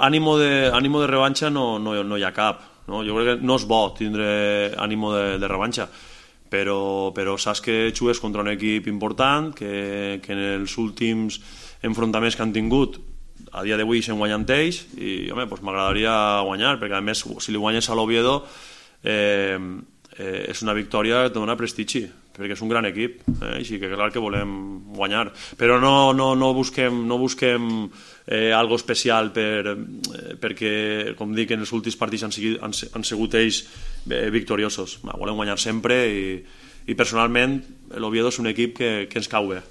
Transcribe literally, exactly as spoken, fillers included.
ànimo de, ànimo de revanxa no, no, no hi ha cap, no? Jo crec que no és bo tindre ànimo de, de revanxa, però, però saps que jugues contra un equip important, que, que en els últims enfrontaments que han tingut a dia d'avui s'han guanyat ells i home, doncs m'agradaria guanyar, perquè a més si li guanyes a l'Oviedo eh, eh, és una victòria que et dona prestigi, perquè és un gran equip, eh? Així que clar que volem guanyar, però no, no, no busquem, no busquem eh, algo especial per, eh, perquè, com dic, en els últims partits han, sigut, han, han sigut ells eh, victoriosos. Va, volem guanyar sempre i, i personalment l'Oviedo és un equip que, que ens cau bé.